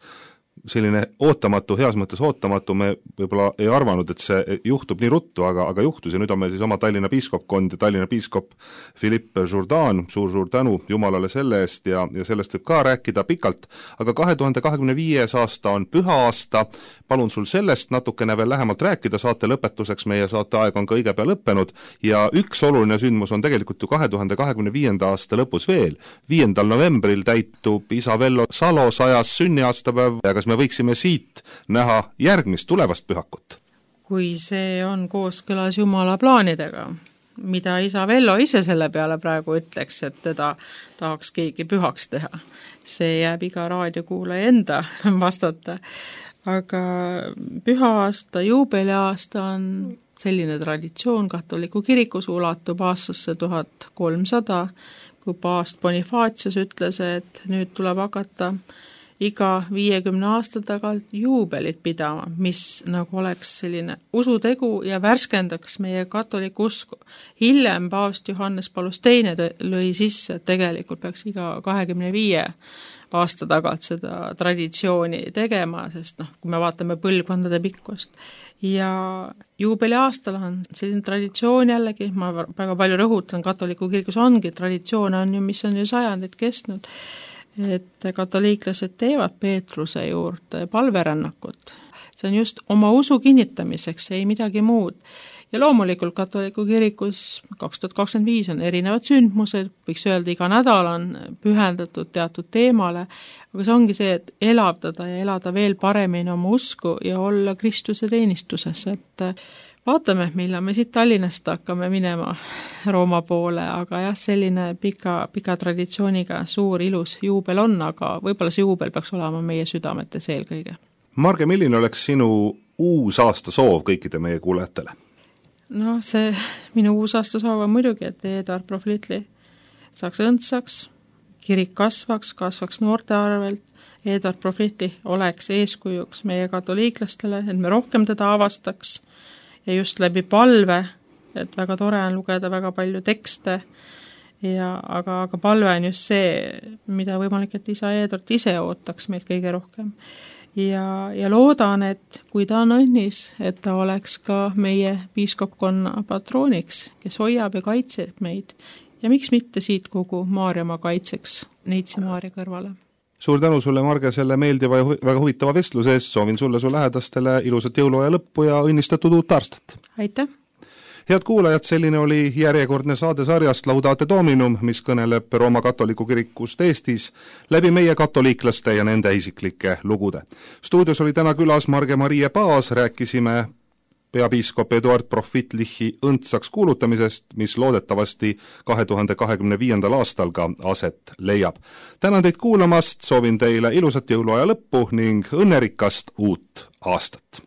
selline ootamatu, heas mõttes ootamatu, me võib-olla ei arvanud, et see juhtub nii ruttu, aga juhtus ja nüüd on meil siis oma Tallinna piiskopkond ja Tallinna piiskop Philippe Jourdan, suur tänu Jumalale selle eest ja sellest võib ka rääkida pikalt, aga 2025. aasta on püha aasta, palun sul sellest natukene veel lähemalt rääkida, saate lõpetuseks, meie saate aeg on ka õige pea lõppenud ja üks oluline sündmus on tegelikult ju 2025. aasta lõpus veel, 5. novembril täitub isa Vello Salo 100. sünniaastapäev ja kas me võiksime siit näha järgmist tulevast pühakut? Kui see on kooskõlas Jumala plaanidega, mida isa Vello ise selle peale praegu ütleks, et teda tahaks keegi pühaks teha. See jääb iga raadiokuulaja enda vastata. Aga püha aasta, juubeliaasta on selline traditsioon katoliku kirikus, ulatub aastasse 1300, kui paavst Bonifacius ütles, et nüüd tuleb hakata iga 50 aasta tagant juubelit pidama, mis nagu oleks selline usutegu ja värskendaks meie katoliku usku. Hiljem paavst Johannes Paulus II lõi sisse, et tegelikult peaks iga 25 aasta tagant seda traditsiooni tegema, sest kui me vaatame põlvkondade pikkust. Ja juubeliaastal on selline traditsioon jällegi, ma väga palju rõhutan, katoliku kirikus ongi, traditsioon on ju, mis on ju sajandid kestnud, et katoliiklased teevad Peetruse juurde palverännakut. See on just oma usu kinnitamiseks, ei midagi muud. Ja loomulikult katoliku kirikus 2025 on erinevad sündmused, võiks öelda, iga nädal on pühendatud teatud teemale, aga see ongi see, et elavdada ja elada veel paremini oma usku ja olla Kristuse teenistuses, et vaatame, millal me siit Tallinnast hakkame minema Rooma poole, aga jah, selline pika traditsiooniga suur ilus juubel on, aga võib-olla see juubel peaks olema meie südametes eelkõige. Marge, milline oleks sinu uus aasta soov kõikide meie kuulajatele? No see minu uus aasta soov on muidugi, et Eduard Proflitlih saaks õndsaks, kirik kasvaks noorte arvelt, Eduard Proflitlih oleks eeskujuks meie katoliiklastele, et me rohkem teda avastaks, ja just läbi palve, et väga tore on lugeda väga palju tekste, aga palve on just see, mida võimalik, et isa Eduard ise ootaks meilt kõige rohkem. Ja loodan, et kui ta on õnnis, et ta oleks ka meie piiskopkonna patrooniks, kes hoiab ja kaitseb meid. Ja miks mitte siit kogu Maarjamaa kaitseks Neitsi Maarja kõrvale. Suur tänu sulle, Marge, selle meeldiva ja väga huvitava vestluse eest, soovin sulle su lähedastele ilusat jõuluaja lõppu ja õnnistatud uut aastat. Aitäh! Head kuulajad, selline oli järjekordne saade sarjast Laudate Dominum, mis kõneleb Rooma katoliku kirikust Eestis läbi meie katoliiklaste ja nende isiklike lugude. Stuudios oli täna külas Marge-Marie Paas, rääkisime peapiiskop Eduard Proflitlihhi õndsaks kuulutamisest, mis loodetavasti 2025. aastal ka aset leiab. Tänan teid kuulamast, soovin teile ilusat jõuluaja lõppu ning õnnerikast uut aastat!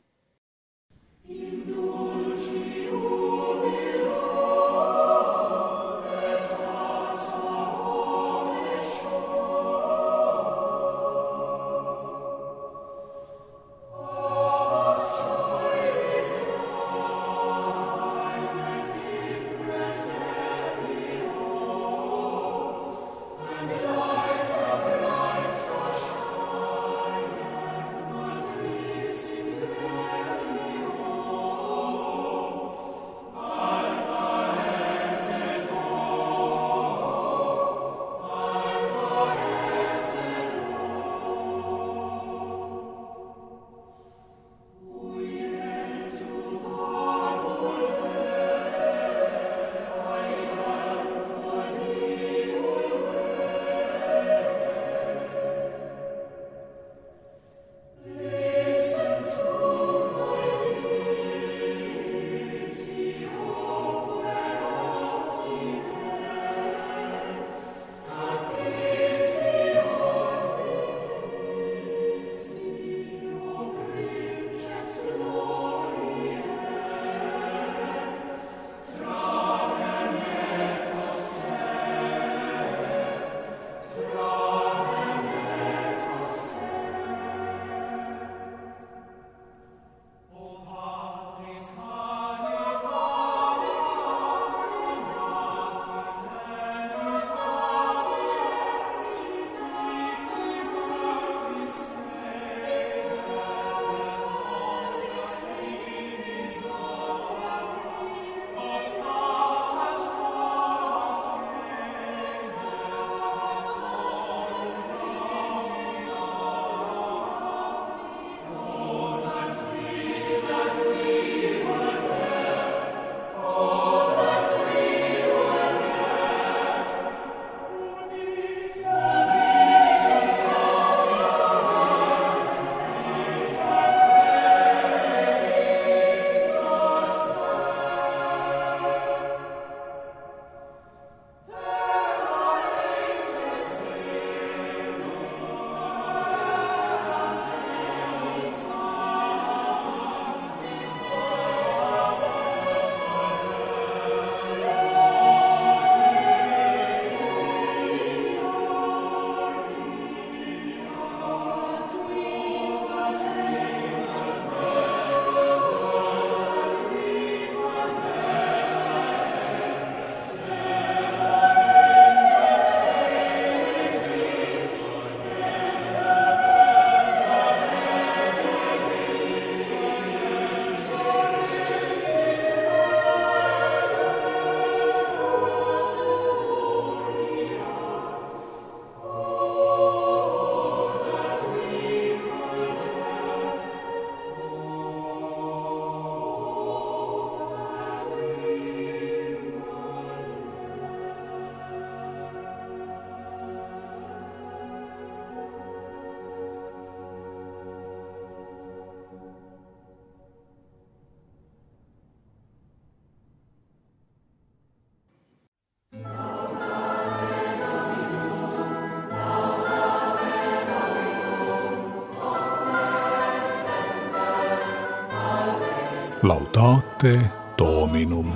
Laudate Dominum.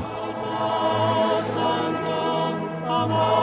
Amor.